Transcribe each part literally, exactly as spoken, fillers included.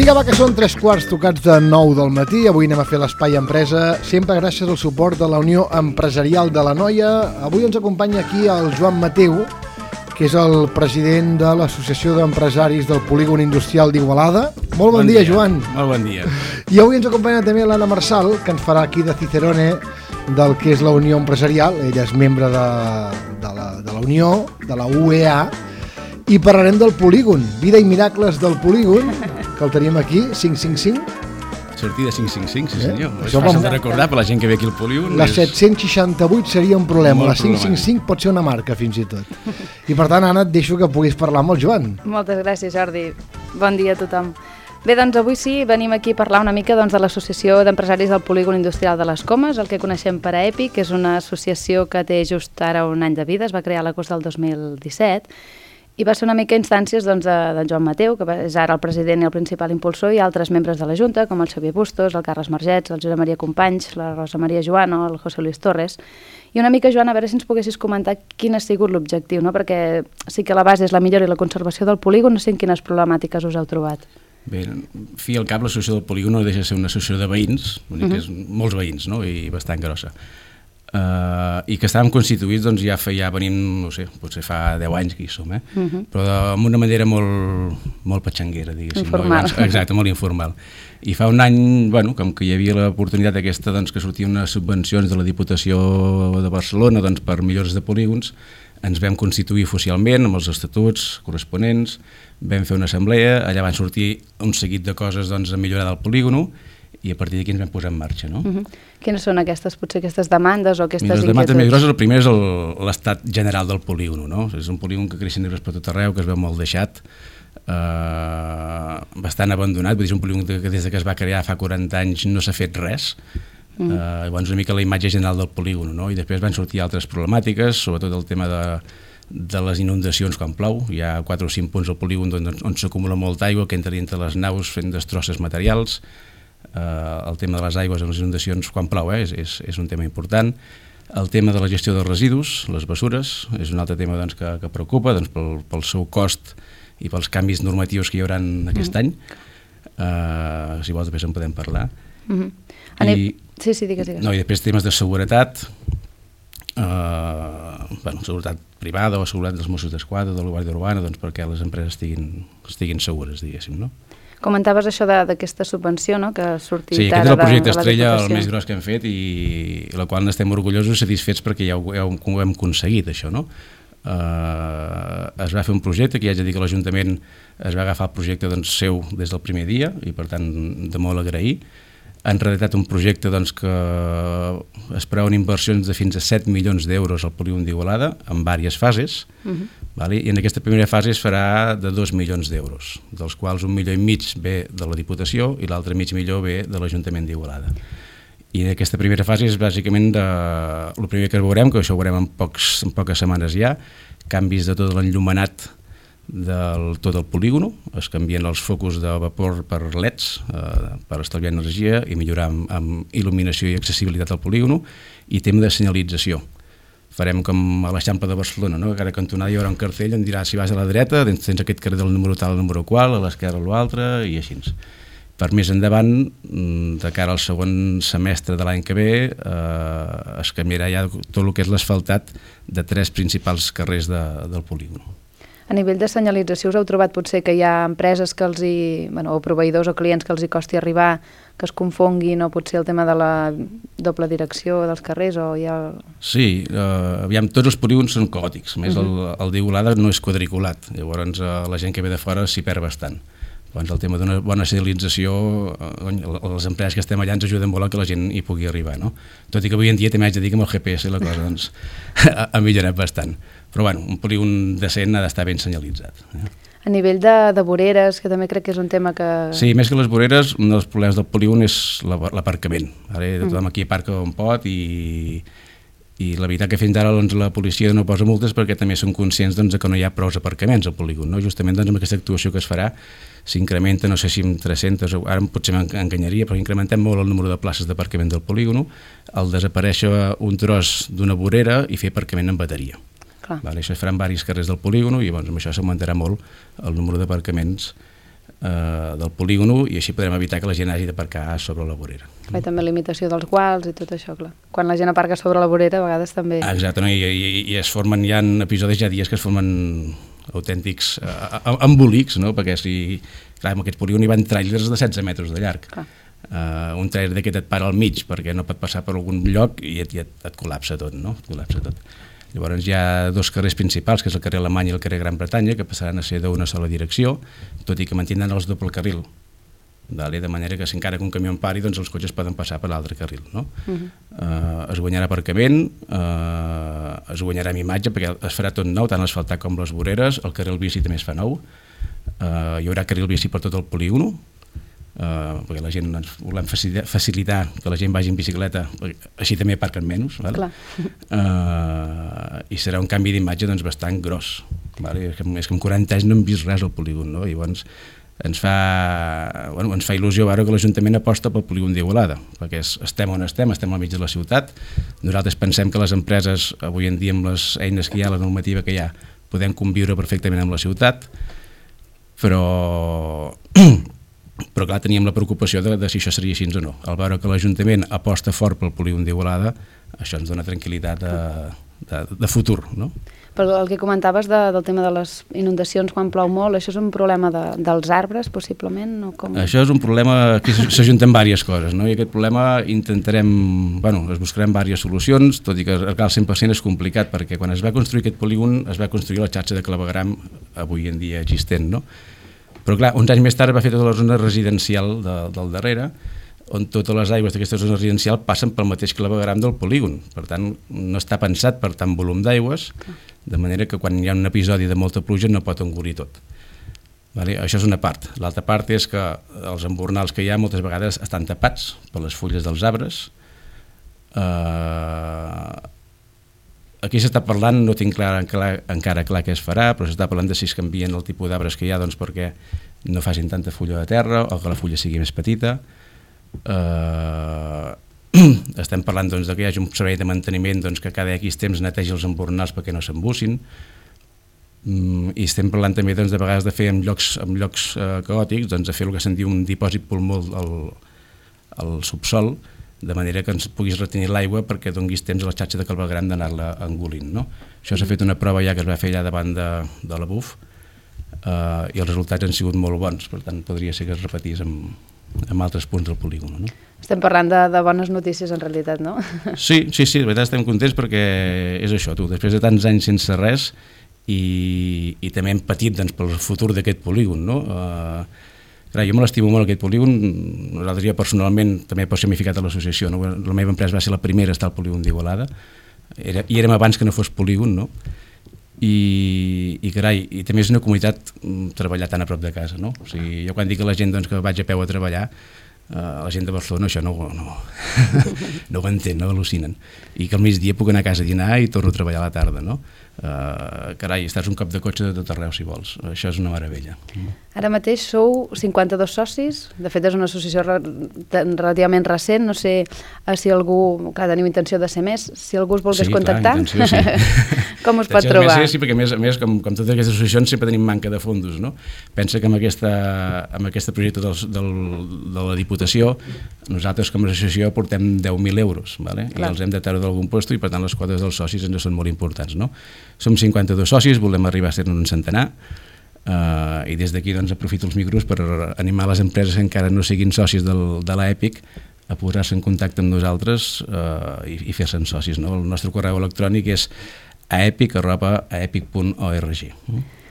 Vinga, va, que són tres quarts tocats de nou del matí. Avui anem a fer l'Espai Empresa, sempre gràcies al suport de la Unió Empresarial de l'Anoia. Avui ens acompanya aquí el Joan Mateu, que és el president de l'Associació d'Empresaris del Polígon Industrial d'Igualada. Molt bon, bon dia, dia, Joan. Molt bon dia. I avui ens acompanya també l'Anna Marsal, que ens farà aquí de Cicerone del que és la Unió Empresarial. Ella és membre de, de, la, de la Unió, de la U E A, i parlarem del polígon, vida i miracles del polígon, que el tenim aquí, cinc cinc cinc. Sortida cinc cinc cinc, sí senyor. Eh? És fàcil de recordar per la gent que ve aquí al polígon. La és... set-cents seixanta-vuit seria un problema, Molt la cinc cinc cinc pot ser una marca fins i tot. I per tant, Anna, et deixo que puguis parlar amb el Joan. Moltes gràcies, Jordi. Bon dia a tothom. Bé, doncs avui sí, venim aquí a parlar una mica doncs, de l'Associació d'Empresaris del Polígon Industrial de les Comes, el que coneixem per a EPI, que és una associació que té just ara un any de vida, es va crear a l'agost del dos mil disset, i va ser una mica instàncies doncs, de, de Joan Mateu, que és ara el president i el principal impulsor, i altres membres de la Junta, com el Xavier Bustos, el Carles Margets, el Josep Maria Companys, la Rosa Maria Joano, el José Luis Torres. I una mica, Joan, a veure si ens poguessis comentar quin ha sigut l'objectiu, no? Perquè sí que la base és la millora i la conservació del polígon, no sé en quines problemàtiques us heu trobat. Bé, fi al cap, l'associació del polígon no deixa de ser una associació de veïns, uh -huh. que és molts veïns, no? I bastant grossa. Uh, i que estàvem constituïts doncs, ja, fa, ja venim, no sé, potser fa deu anys que hi som, eh? Uh -huh. però d'una manera molt, molt patxanguera, diguéssim. Informal. No? Exacte, molt informal. I fa un any, bueno, com que hi havia l'oportunitat aquesta, doncs, que sortien unes subvencions de la Diputació de Barcelona doncs, per millores de polígons, ens vam constituir oficialment amb els estatuts corresponents, vam fer una assemblea, allà van sortir un seguit de coses doncs, a millorar del polígono, i a partir d'aquí ens vam posar en marxa, no? Uh -huh. Quines són aquestes, potser aquestes demandes o aquestes Mira, les inquietuds? demandes més grosses, el primer és l'estat general del polígon, no? És un polígon que creix negres per tot arreu, que es veu molt deixat, eh, bastant abandonat, vull dir, és un polígon que des que es va crear fa quaranta anys no s'ha fet res, uh -huh. eh, llavors una mica la imatge general del polígon, no? I després van sortir altres problemàtiques, sobretot el tema de de les inundacions quan plou. Hi ha quatre o cinc punts al polígon on, on s'acumula molta aigua que entra dintre les naus fent destrosses materials. Uh, el tema de les aigües en les inundacions quan plou eh, és, és, és un tema important. El tema de la gestió dels residus, les bessures, és un altre tema doncs, que, que preocupa doncs, pel, pel seu cost i pels canvis normatius que hi haurà aquest mm. any. Uh, si vols després en podem parlar. Mm-hmm. I, Anem... Sí, sí, digues, digues. No, i després temes de seguretat, uh, bueno, seguretat privada o seguretat dels Mossos d'Esquadra, de la Guàrdia Urbana, doncs perquè les empreses estiguin, estiguin segures, diguéssim, no? Comentaves això d'aquesta subvenció, no?, que ha sortit sí, ara aquest és el projecte de, de estrella, el més gros que hem fet i la qual n'estem orgullosos i satisfets perquè ja ho, ja ho hem aconseguit, això, no? Uh, es va fer un projecte que ja haig de dir que l'Ajuntament es va agafar el projecte doncs, seu des del primer dia i per tant de molt agrair. Han redactat un projecte doncs, que es preveuen inversions de fins a set milions d'euros al polígon d'Igualada en diverses fases. Uh -huh. Vale? I en aquesta primera fase es farà de dos milions d'euros, dels quals un milió i mig ve de la Diputació i l'altre mig milió ve de l'Ajuntament d'Igualada. I en aquesta primera fase és bàsicament de... el primer que veurem, que això ho veurem en, pocs, en poques setmanes ja, canvis de tot l'enllumenat del tot el polígono, es canvien els focus de vapor per L E Ds eh, per estalviar energia i millorar amb, amb il·luminació i accessibilitat al polígono, i tema de senyalització. Farem com a l'Eixample de Barcelona, no? Que a cada cantonada hi haurà un cartell on dirà si vas a la dreta tens aquest carrer del número tal, el número qual, a l'esquerra l'altre i així. Per més endavant, de cara al segon semestre de l'any que ve, eh, es canviarà ja tot el que és l'asfaltat de tres principals carrers de, del polígono. A nivell de senyalització us heu trobat potser que hi ha empreses que els hi, bueno, o proveïdors o clients que els hi costi arribar, que es confonguin, o potser el tema de la doble direcció dels carrers, o hi ha... Sí, eh, aviam, tots els polígons són caòtics, a més uh -huh. el, el d'Igualada no és quadriculat, llavors eh, la gent que ve de fora s'hi perd bastant. Llavors el tema d'una bona senyalització, eh, les empreses que estem allà ens ajuden molt a que la gent hi pugui arribar, no? Tot i que avui en dia també haig de dir que amb el G P S la cosa doncs, ha, ha millorat bastant. Però bueno, un polígon decent ha d'estar ben senyalitzat. Eh? A nivell de, de voreres, que també crec que és un tema que... Sí, més que les voreres, un dels problemes del polígon és l'aparcament. Ara tothom aquí aparca on pot i, i la veritat que fins ara doncs, la policia no posa multes perquè també són conscients doncs, que no hi ha prou aparcaments al polígon. No? Justament doncs, amb aquesta actuació que es farà s'incrementa, no sé si amb tres-centes, ara potser m'enganyaria, però incrementem molt el número de places d'aparcament del polígon al desaparèixer un tros d'una vorera i fer aparcament en bateria. Vale, això es farà en diversos carrers del polígon i llavors amb això s'augmentarà molt el número d'aparcaments eh, del polígono, i així podrem evitar que la gent hagi d'aparcar sobre la vorera. I també limitació dels guals i tot això, clar. Quan la gent aparca sobre la vorera, a vegades també... Exacte, no? I, i, i es formen, hi ha episodis, hi ha dies que es formen autèntics uh, embolics, no? Perquè si, clar, en aquest polígon hi van tràilers de setze metres de llarg. Uh, un trailer d'aquest et para al mig perquè no pot passar per algun lloc i et, et, et col·lapsa tot, no? Et col·lapsa tot. Llavors hi ha dos carrers principals, que és el carrer Alemany i el carrer Gran Bretanya, que passaran a ser d'una sola direcció, tot i que mantindran els doble carril. Vale? De manera que si encara que un camió en pari, doncs els cotxes poden passar per l'altre carril. No? Uh-huh. uh, es guanyarà aparcament, uh, es guanyarà en imatge, perquè es farà tot nou, tant l'asfaltat com les voreres, el carril bici també es fa nou, uh, hi haurà carril bici per tot el polígono, Uh, perquè la gent ens volem facilitar que la gent vagi en bicicleta, així també aparquen menys, vale? uh, i serà un canvi d'imatge doncs, bastant gros, vale? és, que, és que en quaranta anys no hem vist res al polígon, no? I llavors ens fa, bueno, ens fa il·lusió veure que l'Ajuntament aposta pel polígon d'Igualada, perquè estem on estem, estem al mig de la ciutat. Nosaltres pensem que les empreses avui en dia, amb les eines que hi ha, la normativa que hi ha, podem conviure perfectament amb la ciutat, però però clar, teníem la preocupació de, de si això seria així o no. Al veure que l'Ajuntament aposta fort pel polígon d'Igualada, això ens dona tranquil·litat de, de, de futur, no? Però el que comentaves de, del tema de les inundacions quan plou molt, això és un problema de, dels arbres, possiblement? O com... Això és un problema que s'ajunten diverses coses, no? I aquest problema intentarem, bueno, es buscarem diverses solucions, tot i que al cent per cent és complicat, perquè quan es va construir aquest polígon es va construir la xarxa de clavegueram avui en dia existent, no? Però clar, uns anys més tard va fer tota la zona residencial de, del darrere, on totes les aigües d'aquesta zona residencial passen pel mateix clavegueram del polígon. Per tant, no està pensat per tant volum d'aigües, de manera que quan hi ha un episodi de molta pluja no pot engolir tot. Vale? Això és una part. L'altra part és que els embornals que hi ha moltes vegades estan tapats per les fulles dels arbres. Uh, aquí s'està parlant, no tinc clar, clar, encara clar què es farà, però s'està parlant de si es canvien el tipus d'arbres que hi ha, doncs perquè no facin tanta fulla de terra o que la fulla sigui més petita. Uh, estem parlant doncs, de que hi hagi un servei de manteniment doncs, que cada X temps netegi els embornals perquè no s'embussin. Mm, i estem parlant també doncs, de vegades de fer en llocs, en llocs uh, caòtics, doncs, de fer el que se'n diu un dipòsit pulmó al, al subsol, de manera que ens puguis retenir l'aigua perquè donguis temps a la xarxa de clavegueram d'anar-la engolint. No? Això s'ha fet una prova ja que es va fer allà davant de, de la B U F uh, i els resultats han sigut molt bons, per tant podria ser que es repetís amb, amb altres punts del polígon. No? Estem parlant de, de bones notícies en realitat, no? Sí, sí, sí, de veritat estem contents perquè és això, tu, després de tants anys sense res i, i també hem patit doncs, pel futur d'aquest polígon, no? Uh, Clar, jo me l'estimo molt aquest polígon, nosaltres ja personalment també he personificat a l'associació, no? La meva empresa va ser la primera a estar al polígon d'Igualada, Era, i érem abans que no fos polígon, no? I, i carai, i també és una comunitat treballar tan a prop de casa, no? O sigui, jo quan dic a la gent doncs, que vaig a peu a treballar, Uh, la gent de Barcelona això no, no, no ho entén, no al·lucinen, i que al migdia puc anar a casa a dinar i torno a treballar a la tarda, no? Uh, carai, estàs un cop de cotxe de tot arreu si vols, això és una meravella. Ara mateix sou cinquanta-dos socis, de fet és una associació re relativament recent, no sé uh, si algú, clar, tenim intenció de ser més, si algú us volgués sí, contactar, clar, intenció, sí. Com us pot trobar? Més, sí, perquè a més, a més com, com totes aquestes associacions sempre tenim manca de fondos, no? Pensa que amb aquesta, amb aquesta projecte del, del, de la Diputació nosaltres com a associació portem deu mil euros, vale? I els hem de treure d'algun lloc i per tant les quotes dels socis ens són molt importants, no? Som cinquanta-dos socis, volem arribar a ser un centenar, uh, i des d'aquí doncs, aprofito els micros per animar les empreses que encara no siguin socis del, de l'EPIC a posar-se en contacte amb nosaltres uh, i, i fer-se'n socis, no? El nostre correu electrònic és aepic arroba aepic punt org.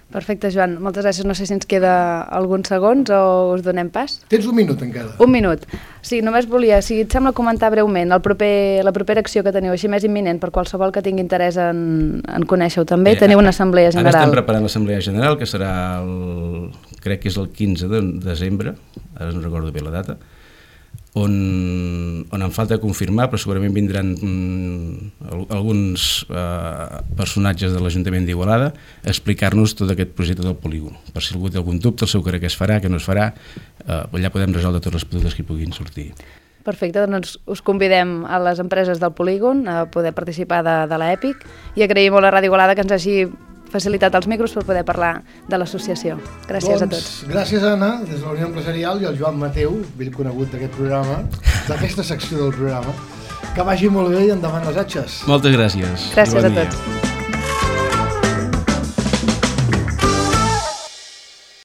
Perfecte, Joan. Moltes gràcies. No sé si ens queda alguns segons o us donem pas. Tens un minut encara. Un minut. Sí, només volia, si et sembla, comentar breument el proper, la propera acció que teniu, així més imminent, per qualsevol que tingui interès en, en conèixer-ho també. Bé, teniu una assemblea general. Ara estem preparant l'assemblea general, que serà el, crec que és el quinze de desembre, ara no recordo bé la data, on, on em falta confirmar, però segurament vindran mm, alguns eh, personatges de l'Ajuntament d'Igualada a explicar-nos tot aquest projecte del polígon. Per si algú té algun dubte, el seu crec que es farà, que no es farà, eh, allà podem resoldre tots els productes que puguin sortir. Perfecte, doncs us convidem a les empreses del polígon a poder participar de, de l'EPIC i agraïm molt a Ràdio Igualada que ens hagi facilitat els micros per poder parlar de l'associació. Gràcies doncs, a tots. Gràcies, Anna, des de la Unió Empresarial, i el Joan Mateu, vell conegut d'aquest programa, d'aquesta secció del programa. Que vagi molt bé i endavant les atxes. Moltes gràcies. Gràcies bon a dia. tots.